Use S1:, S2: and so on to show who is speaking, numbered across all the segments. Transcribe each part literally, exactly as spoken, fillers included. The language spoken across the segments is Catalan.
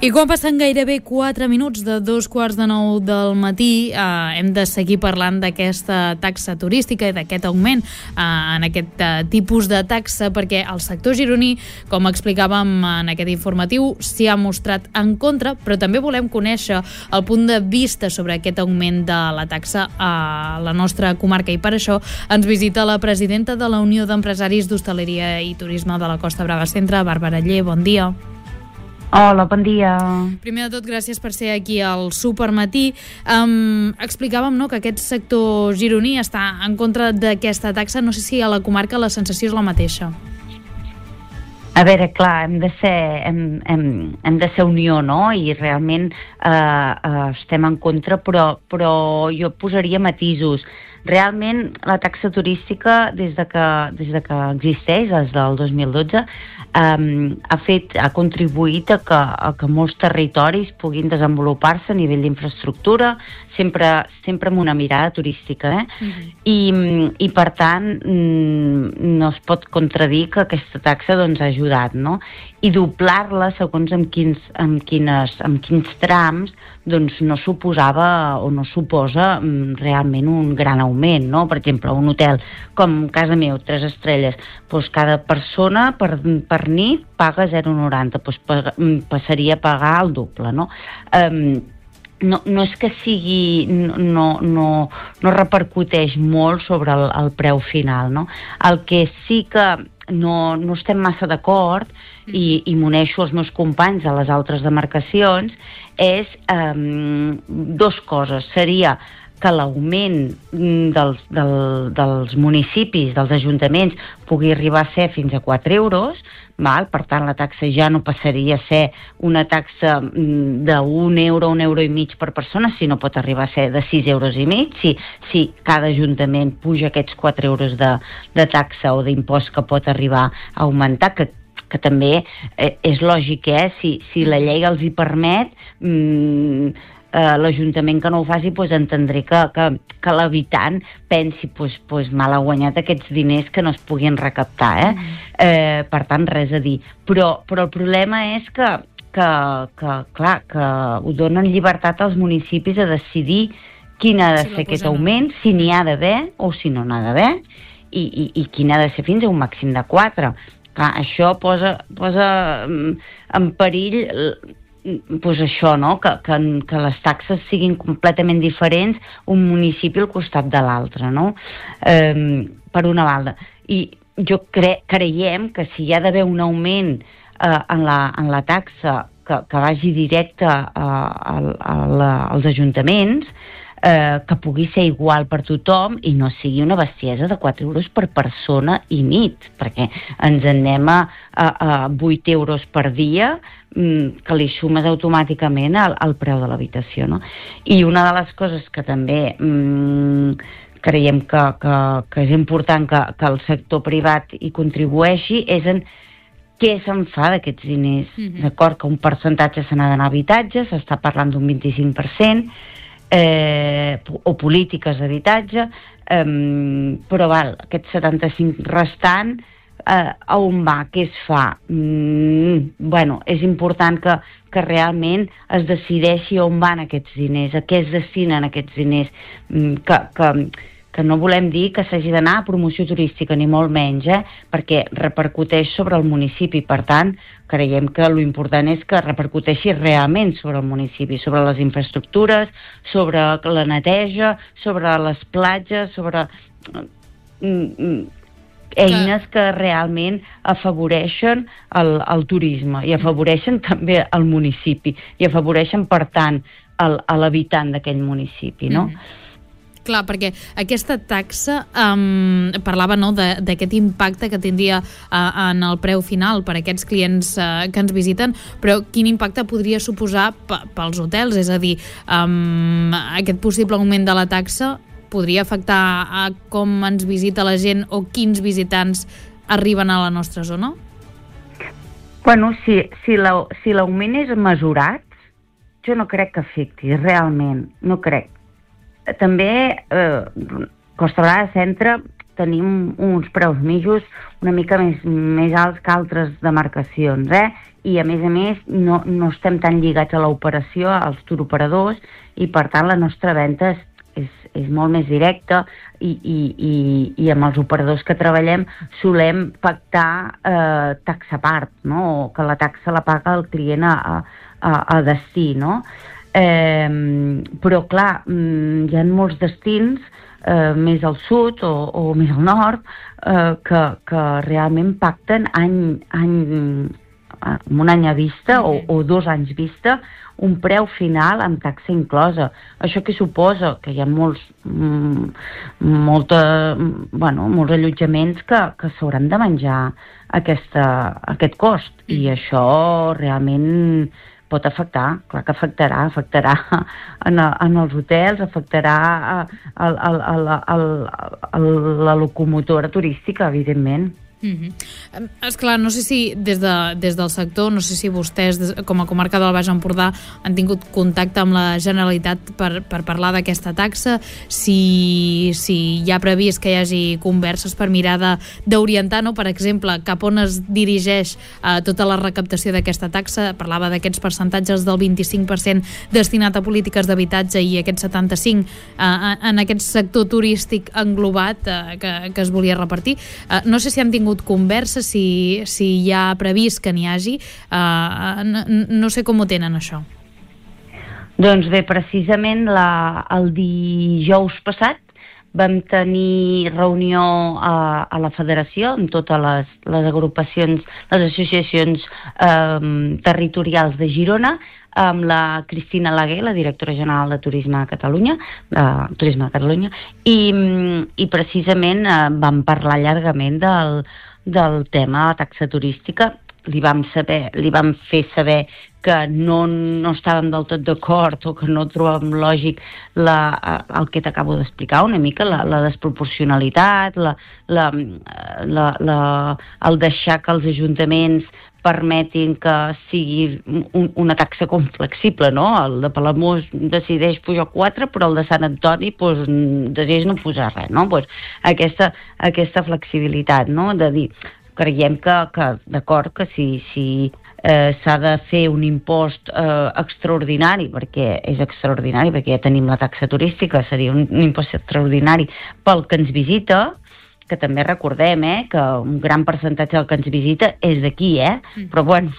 S1: I quan passen gairebé quatre minuts de dos quarts de nou del matí, eh, hem de seguir parlant d'aquesta taxa turística i d'aquest augment eh, en aquest eh, tipus de taxa, perquè el sector gironí, com explicàvem en aquest informatiu, s'hi ha mostrat en contra, però també volem conèixer el punt de vista sobre aquest augment de la taxa a la nostra comarca, i per això ens visita la presidenta de la Unió d'Empresaris d'Hostaleria i Turisme de la Costa Brava Centre, Bàrbara Aller. Bon dia.
S2: Hola, bon dia.
S1: Primer de tot, gràcies per ser aquí al Supermatí. Um, explicàvem, no, que aquest sector gironí està en contra d'aquesta taxa. No sé si a la comarca la sensació és la mateixa.
S2: A veure, clar, hem de ser, hem, hem, hem de ser unió, no? I realment eh, eh, estem en contra, però, però jo posaria matisos. Realment, la taxa turística, des de que, des de que existeix, des del dos mil dotze, um, ha, fet, ha contribuït a que, a que molts territoris puguin desenvolupar-se a nivell d'infraestructura, sempre, sempre amb una mirada turística. Eh? Uh-huh. I, I, per tant, no es pot contradir que aquesta taxa doncs, ha ajudat, no? I doblar-la, segons amb quins, amb quines, amb quins trams, doncs no suposava o no suposa mm, realment un gran augment, no? Per exemple, un hotel com casa meu, tres estrelles, doncs cada persona per, per nit paga zero coma noranta, doncs paga, passaria a pagar el doble, no? Um, no, no és que sigui, no, no, no repercuteix molt sobre el, el preu final, no? El que sí que no, no estem massa d'acord, i, i m'uneixo als meus companys a les altres demarcacions, és um, dos coses. Seria que l'augment dels, del, dels municipis, dels ajuntaments, pugui arribar a ser fins a quatre euros, val? Per tant la taxa ja no passaria a ser una taxa d'un euro, un euro i mig per persona, sinó pot arribar a ser de sis euros i mig, si, si cada ajuntament puja aquests quatre euros de, de taxa o d'impost que pot arribar a augmentar, que que també eh, és lògic, eh? Si, si la llei els hi permet, mm, eh, l'Ajuntament que no ho faci, pues, entendré que, que, que l'habitant pensi pues, pues, mal ha guanyat aquests diners que no es puguin recaptar. Eh? Mm. Eh, per tant, res a dir. Però, però el problema és que, que, que, clar, que ho donen llibertat als municipis a decidir quin ha de si ser aquest augment, si n'hi ha d'haver o si no n'ha d'haver, i, i, i quin ha de ser fins a un màxim de quatre. Clar, això posa, posa en perill pues això, no? que, que, que les taxes siguin completament diferents un municipi al costat de l'altre, no? Eh, per una banda. I jo cre creiem que si hi ha d'haver un augment eh, en, la, en la taxa que, que vagi directe a, a, a la, als ajuntaments, Eh, que pugui ser igual per tothom i no sigui una bestiesa de quatre euros per persona i nit, perquè ens en anem a, a, a vuit euros per dia, mm, que li sumes automàticament al, al preu de l'habitació, no? I una de les coses que també mm, creiem que, que, que és important que, que el sector privat hi contribueixi és en què se'n fa d'aquests diners. Mm-hmm. D'acord, que un percentatge se n'ha d'anar a habitatge, s'està parlant d'un vint-i-cinc per cent, Eh, o polítiques d'habitatge, eh, però val, aquest setanta-cinc restant eh, a on va, què es fa? Mm, bueno, és important que, que realment es decideixi on van aquests diners, a què es destinen aquests diners, mm, que, que, que no volem dir que s'hagi d'anar a promoció turística, ni molt menys, eh? Perquè repercuteix sobre el municipi. Per tant, creiem que l'important és que repercuteixi realment sobre el municipi, sobre les infraestructures, sobre la neteja, sobre les platges, sobre eines que realment afavoreixen el, el turisme i afavoreixen també el municipi i afavoreixen, per tant, l'habitant d'aquell municipi, no? Mm.
S1: Clar, perquè aquesta taxa um, parlava, no, d'aquest impacte que tindria uh, en el preu final per a aquests clients uh, que ens visiten, però quin impacte podria suposar pels hotels? És a dir, um, aquest possible augment de la taxa podria afectar a com ens visita la gent o quins visitants arriben a la nostra zona?
S2: Bueno, si, si l'augment si és mesurat, jo no crec que afecti, realment, no crec. També eh, Costa Brava Centre tenim uns preus mitjos una mica més, més alts que altres demarcacions, eh? I a més a més no, no estem tan lligats a l'operació, als turoperadors, i per tant la nostra venda és, és, és molt més directa i, i, i, i amb els operadors que treballem solem pactar eh, taxa a part, no? O que la taxa la paga el client a, a, a destí, no? Eh, però clar, hi ha molts destins eh, més al sud o, o més al nord eh, que, que realment pacten any, any, un any a vista o, o dos anys vista un preu final amb taxa inclosa. Això què suposa? Que hi ha molts, mm, molta, bueno, molts allotjaments que, que s'hauran de menjar aquesta, aquest cost, i això realment pot afectar, clar que afectarà, afectarà en, en els hotels, afectarà a, a, a, a, a, a la locomotora turística, evidentment.
S1: Mm-hmm. Esclar, no sé si des, de, des del sector, no sé si vostès des, com a comarca del Baix Empordà han tingut contacte amb la Generalitat per, per parlar d'aquesta taxa, si, si hi ha previst que hi hagi converses per mirar d'orientar, no? Per exemple, cap on es dirigeix eh, tota la recaptació d'aquesta taxa. Parlava d'aquests percentatges del vint-i-cinc per cent destinat a polítiques d'habitatge i aquest setanta-cinc per cent eh, en aquest sector turístic englobat eh, que, que es volia repartir. Eh, no sé si han tingut conversa, si, si hi ha previst que n'hi hagi, uh, no, no sé com ho tenen això.
S2: Doncs bé, precisament la, el dijous passat vam tenir reunió a, a la federació amb totes les, les agrupacions, les associacions eh, territorials de Girona, amb la Cristina Laguer, la directora general de Turisme a Catalunya, de Turisme a Catalunya, i, i precisament eh, vam parlar llargament del, del tema de la taxa turística. Li vam, saber, li vam fer saber que no, no estàvem del tot d'acord o que no trobàvem lògic la, el que t'acabo d'explicar una mica, la, la desproporcionalitat, la, la, la, la, el deixar que els ajuntaments permetin que sigui un, una taxa com flexible, no? El de Palamós decideix pujar quatre, però el de Sant Antoni pues, decideix no posar res, no? Pues, aquesta, aquesta flexibilitat, no? De dir, creiem que, que d'acord, que si, si eh, s'ha de fer un impost eh, extraordinari, perquè és extraordinari, perquè ja tenim la taxa turística, seria un, un impost extraordinari pel que ens visita, que també recordem eh, que un gran percentatge del que ens visita és d'aquí, eh? Mm. Però bueno,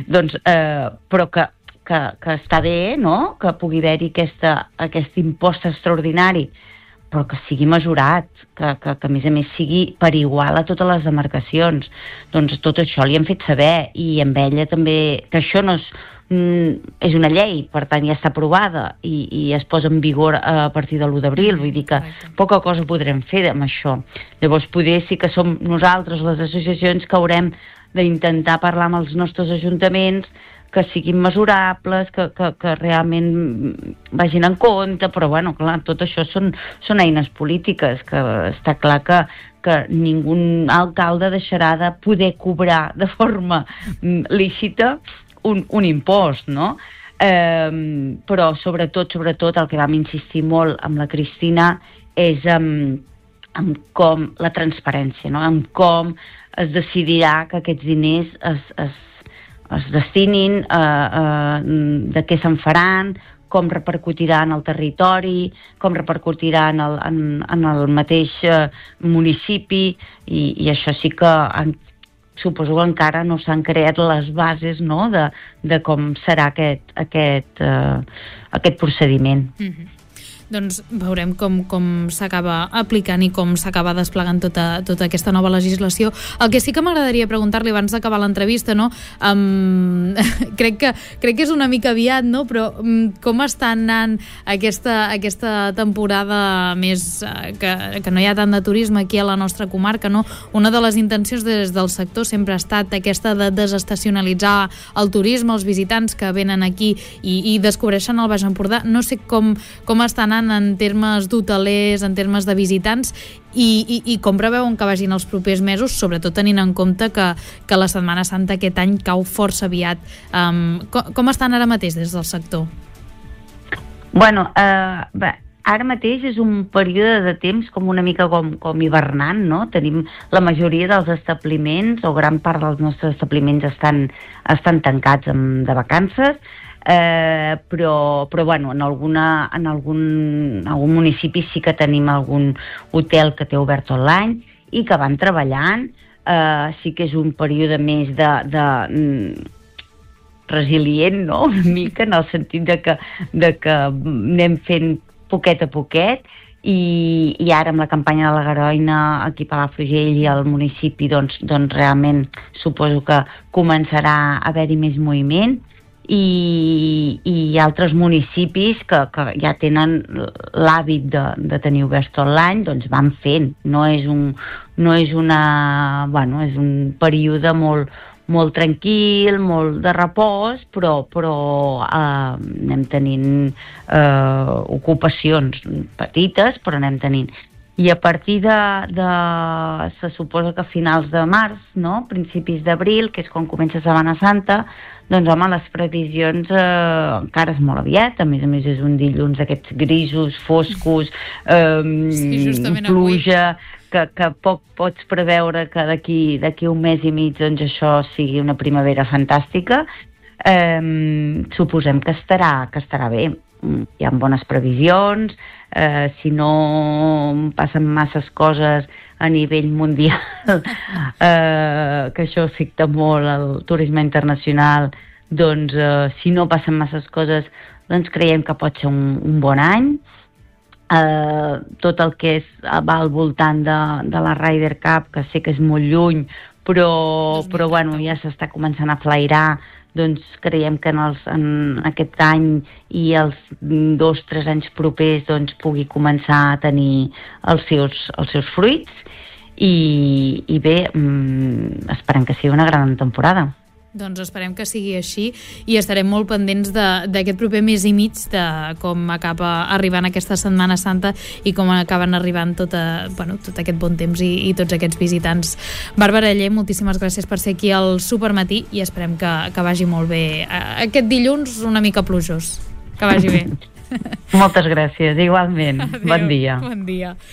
S2: doncs, eh, però que, que, que està bé, no?, que pugui haver-hi aquesta, aquest impost extraordinari, però que sigui mesurat, que, que, que a més a més sigui per igual a totes les demarcacions. Doncs tot això li hem fet saber, i amb ella també, que això no és, mm, és una llei, per tant ja està aprovada i, i es posa en vigor a partir de l'u d'abril, vull dir que poca cosa podrem fer amb això. Llavors poder sí que som nosaltres, les associacions, que haurem d'intentar parlar amb els nostres ajuntaments, que siguin mesurables, que, que, que realment vagin en compte, però bueno, clar, tot això són, són eines polítiques, que està clar que, que ningú alcalde deixarà de poder cobrar de forma lícita un, un impost, no? Eh, però sobretot, sobretot el que vam insistir molt amb la Cristina és amb, amb com la transparència, no? Amb com es decidirà que aquests diners es, es es destinin, eh, eh, de què se'n faran, com repercutirà en el territori, com repercutirà en el, en, en el mateix eh, municipi, i, i això sí que en, suposo que encara no s'han creat les bases, no?, de, de com serà aquest, aquest, eh, aquest procediment.
S1: Mm-hmm. Doncs veurem com, com s'acaba aplicant i com s'acaba desplegant tota, tota aquesta nova legislació. El que sí que m'agradaria preguntar-li abans d'acabar l'entrevista, no? Um, crec, que, crec que és una mica aviat, no? Però um, com està anant aquesta, aquesta temporada més uh, que, que no hi ha tant de turisme aquí a la nostra comarca, no? Una de les intencions des del sector sempre ha estat aquesta de desestacionalitzar el turisme, els visitants que venen aquí i, i descobreixen el Baix Empordà. No sé com, com està anant en termes d'hotelers, en termes de visitants, i, i, i com preveuen que vagin els propers mesos, sobretot tenint en compte que, que la Setmana Santa aquest any cau força aviat. Um, com, com estan ara mateix des del sector?
S2: Bueno, eh, bé, ara mateix és un període de temps com una mica com, com hivernant, no? Tenim la majoria dels establiments, o gran part dels nostres establiments estan, estan tancats amb, de vacances, eh, però, però bueno, en, alguna, en algun, algun municipi sí que tenim algun hotel que té obert tot l'any i que van treballant. Eh, sí que és un període més de... de resilient, no? Una mica, en el sentit de que, de que anem fent poquet a poquet, i, i ara amb la campanya de la Garoina aquí a Palafrugell i al municipi, doncs, doncs realment suposo que començarà a haver-hi més moviment, i, i altres municipis que, que ja tenen l'hàbit de, de tenir oberts tot l'any, doncs van fent. No és un, no és una, bueno, és un període molt molt tranquil, molt de repòs, però, però eh, anem tenint eh, ocupacions petites, però anem tenint. I a partir de, de... se suposa que a finals de març, no? Principis d'abril, que és quan comença Setmana Santa, doncs home, les previsions eh, encara és molt aviat, a més a més és un dilluns d'aquests grisos, foscos, eh,
S1: sí,
S2: pluja... Que, que poc pots preveure que d'aquí d'aquí un mes i mig doncs això sigui una primavera fantàstica. Eh, suposem que estarà, que estarà bé. Hi ha bones previsions, eh, si no passen masses coses a nivell mundial, eh, que això afecta molt el turisme internacional, doncs eh, si no passen masses coses, doncs creiem que pot ser un, un bon any. Uh, tot el que és, va al voltant de, de la Ryder Cup, que sé que és molt lluny, però, però bueno, ja s'està començant a flairar, doncs creiem que en, els, en aquest any i els dos, tres anys propers doncs pugui començar a tenir els seus, els seus fruits, i, i bé, mm, esperem que sigui una gran temporada.
S1: Doncs esperem que sigui així i estarem molt pendents d'aquest proper mes i mig, de com acaba arribant aquesta Setmana Santa i com acaben arribant tot, a, bueno, tot aquest bon temps i, i tots aquests visitants. Bàrbara Aller, moltíssimes gràcies per ser aquí al Supermatí i esperem que, que vagi molt bé aquest dilluns una mica plujós. Que vagi bé.
S2: Moltes gràcies, igualment.
S1: Adéu,
S2: bon dia.
S1: Bon dia.